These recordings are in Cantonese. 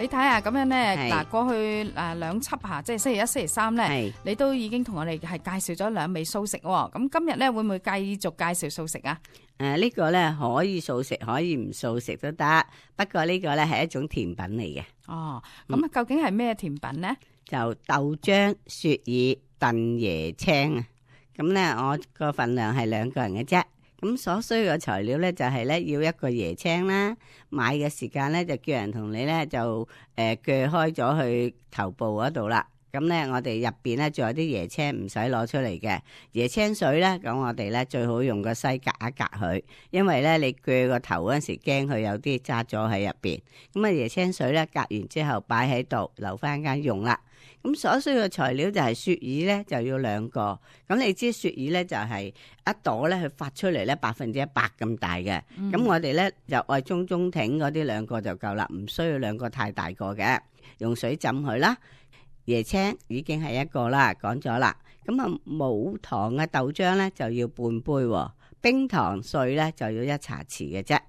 你睇下咁樣咧，嗱過去兩輯嚇，即係星期一、星期三咧，你都已經同我哋係介紹咗兩味素食喎。咁今日咧會唔會繼續介紹素食啊？呢個咧可以素食，可以唔素食都得。不過呢個咧係一種甜品嚟嘅。哦，咁究竟係咩甜品咧？就豆漿雪耳燉椰青啊！咁咧我個份量係2個人嘅啫。咁所需嘅材料咧就係咧要一個椰青啦。買嘅時間咧就叫人同你咧就鋸開咗去頭部嗰度啦。咁咧我哋入邊咧仲有啲椰青唔使攞出嚟嘅椰青水咧，咁我哋咧最好用個篩隔一隔佢，因為咧你鋸個頭嗰陣時驚佢有啲渣咗喺入邊。咁啊椰青水咧隔完之後擺喺度留翻間用啦。咁所需嘅材料就係雪耳咧就要2個。咁你知雪耳咧就係一朵咧佢發出嚟咧100%咁大嘅。咁我哋咧就愛中挺嗰啲2個就夠啦，唔需要2個太大個嘅。用水浸佢啦。椰青已經係1個啦，講咗啦。咁啊冇糖嘅豆漿咧就要半杯，冰糖碎咧就要1茶匙嘅啫。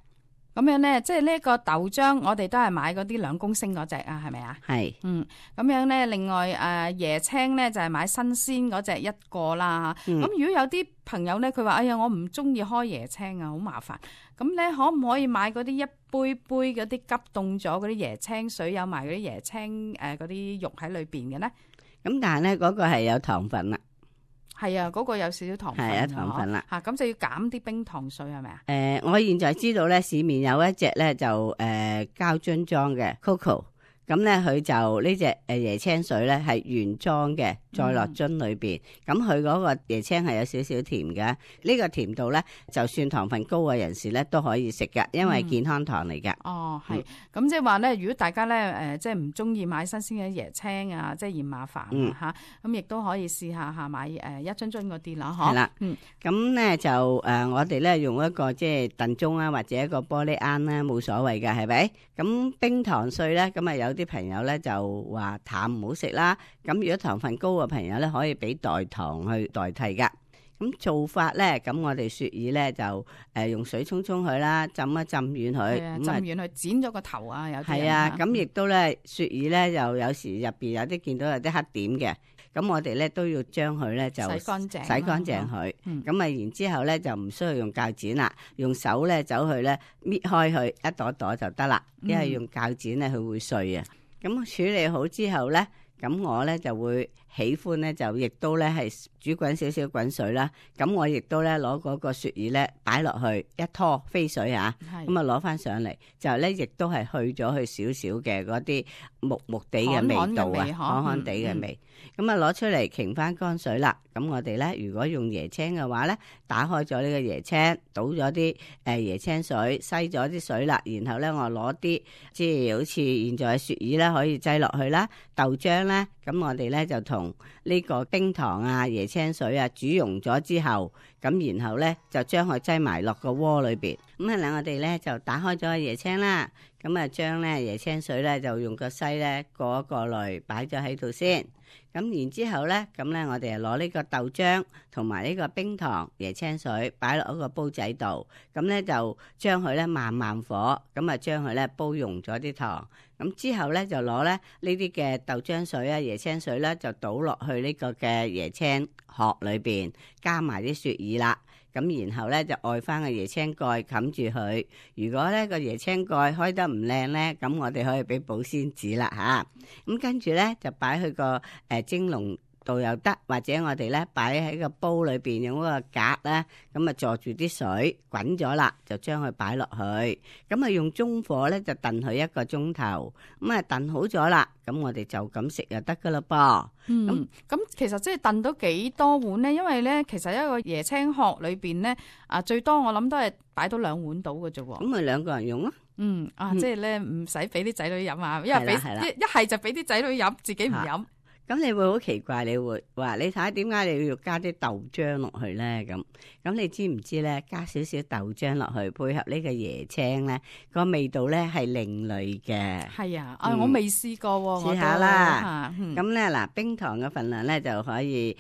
咁樣咧，即係呢個豆漿，我哋都係買嗰啲2公升嗰隻啊，係咪啊？係。咁樣咧，另外椰青咧就係買新鮮嗰隻1個啦。咁如果有啲朋友咧，佢話哎呀，我唔中意開椰青啊，好麻煩。咁咧，可唔可以買嗰啲一杯杯嗰啲急凍咗嗰啲椰青水，有埋嗰啲椰青嗰啲肉喺裏邊嘅咧？咁但係咧嗰個係有糖分啦。係啊，嗰個有少少糖分。係啊，糖分啦。咁就要減啲冰糖水係咪啊？我現在知道咧，市面有一隻咧就膠樽裝嘅 Coco。咁咧佢就呢隻椰青水咧係原裝嘅，再落樽裏邊。咁佢嗰個椰青係有少少甜嘅，呢個甜度咧就算糖分高嘅人士咧都可以食嘅，因為健康糖嚟嘅。哦，係。咁即係話咧，如果大家咧即係唔中意買新鮮嘅椰青啊，即係嫌麻煩嚇，咁亦都可以試下買一樽樽嗰啲啦，嗬。係啦。咁咧就我哋咧用一個即係燉盅啊，或者一個玻璃罌啦，冇所謂嘅，係咪？咁冰糖碎咧，咁啊有啲朋友咧就話淡唔好食啦，咁如果糖分高嘅朋友咧可以俾代糖去代替噶。咁做法咧，咁我哋雪耳咧就用水沖佢啦，浸一浸軟佢，浸軟佢剪咗個頭啊，有啲係啊，咁亦都咧雪耳咧又有時入邊有啲見到有啲黑點嘅，咁我哋咧都要將佢咧就洗乾淨佢，咁啊然之後咧就唔需要用鉸剪啦，用手咧走去咧搣開佢一朵朵就得啦，因為用鉸剪咧佢會碎啊。咁處理好之後咧，咁我咧就會喜歡咧就亦都咧係煮滾少少滾水啦。咁我亦都咧攞嗰個雪耳咧擺落去一拖飛水嚇，咁啊攞翻上嚟就咧亦都係去咗佢少少嘅嗰啲木木地嘅味道啊，寒寒地嘅味。咁啊攞出嚟擎翻乾水啦。咁我哋咧如果用椰青嘅話咧，打開咗呢個椰青，倒咗啲椰青水，篩咗啲水啦，然後咧我攞啲即係好似現在嘅雪耳啦，可以擠落去啦。豆漿咧，咁我哋咧就同呢個冰糖啊、椰青水啊煮溶咗之後，咁然後咧就將佢擠埋落個鍋裏邊。咁我哋咧就打開咗個椰青啦，咁啊將咧椰青水咧就用個篩咧過一過濾，擺咗喺度先。咁然之後咧，咁咧我哋就攞呢個豆漿同埋呢個冰糖、椰青水擺落一個煲仔度，咁咧就將佢咧慢慢火，咁啊將佢咧煲溶咗啲糖，咁之後咧就攞咧呢啲嘅豆漿水啊、椰青水咧就倒落去呢個嘅椰青殼裏邊，加埋啲雪耳啦。咁然後咧就蓋翻個椰青蓋冚住佢。如果咧個椰青蓋開得唔靚咧，咁我哋可以俾保鮮紙啦吓。咁跟住咧就擺去個蒸籠度又得，或者我哋咧擺喺個煲裏邊用嗰個格咧，咁啊坐住啲水滾咗啦，就將佢擺落去，咁啊用中火咧就燉佢1個鐘頭，咁啊燉好咗啦，咁我哋就咁食就得噶啦噃。咁其實即係燉到幾多碗咧？因為咧其實一個椰青殼裏邊咧最多我諗都係擺到2碗到嘅啫喎。咁咪2個人用咯。即係咧唔使俾啲仔女飲啊，因為俾一係就俾啲仔女飲，自己唔飲。咁你會好奇怪，你會話你睇下點解你要加啲豆漿落去咧？咁你知唔知咧？加少少豆漿落去配合呢個椰青咧，個味道咧係另類嘅。係啊，我未試過喎，試下啦。咁咧嗱，冰糖嘅份量咧就可以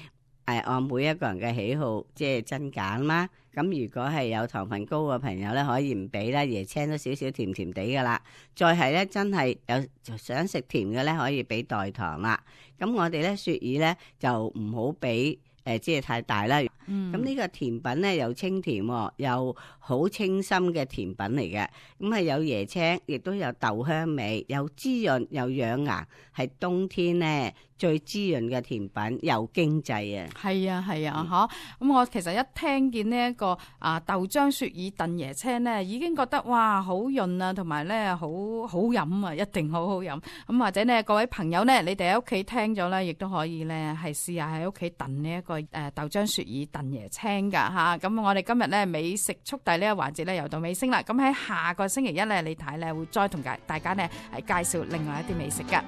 按每一個人嘅喜好即係增減啦。咁如果係有糖分高嘅朋友咧，可以唔俾啦，椰青都少少甜甜地噶啦。再係咧，真係有想食甜嘅咧，可以俾代糖啦。咁我哋咧雪耳咧就唔好俾即係太大啦。咁呢個甜品咧又清甜又好清新嘅甜品嚟嘅。咁係有椰青，亦都有豆香味，又滋潤又養顏，係冬天咧最滋潤嘅甜品，又經濟啊！係啊係啊，咁我其實一聽見呢一個豆漿雪耳燉椰青咧，已經覺得哇好潤啊，同埋咧好好飲啊，一定好好飲。咁或者呢，各位朋友呢，你哋喺屋企聽咗咧，亦都可以咧係試下喺屋企燉呢一個豆漿雪耳燉椰青噶嚇。咁我哋今日咧美食速遞呢個環節咧又到尾聲啦。咁喺下個星期一咧，李太咧會再同大家咧係介紹另外一啲美食噶。